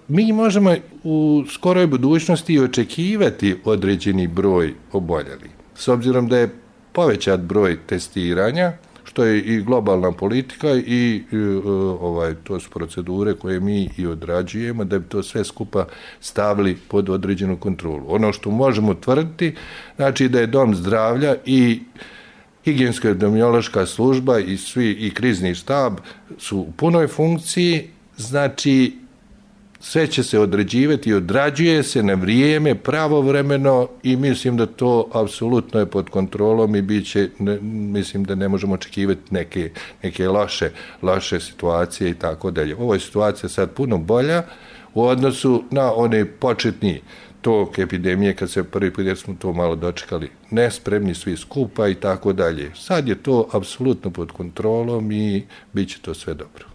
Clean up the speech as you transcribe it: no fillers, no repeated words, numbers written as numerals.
mi možemo u skoroj budućnosti očekivati određeni broj oboljelih. S obzirom da je povećat broj testiranja, što je i globalna politika i to su procedure koje mi i odrađujemo da bi to sve skupa stavili pod određenu kontrolu. Ono što možemo tvrditi, znači da je dom zdravlja i higijensko-epidemiološka služba i krizni štab su u punoj funkciji, znači sve će se određivati i odrađuje se na vrijeme, pravovremeno i mislim da to apsolutno je pod kontrolom i mislim da ne možemo očekivati neke loše situacije i tako dalje. Ovo je situacija sad puno bolja u odnosu na one početni tok epidemije kad se prvi put jer smo to malo dočekali nespremni svi skupa i tako dalje. Sad je to apsolutno pod kontrolom i bit će to sve dobro.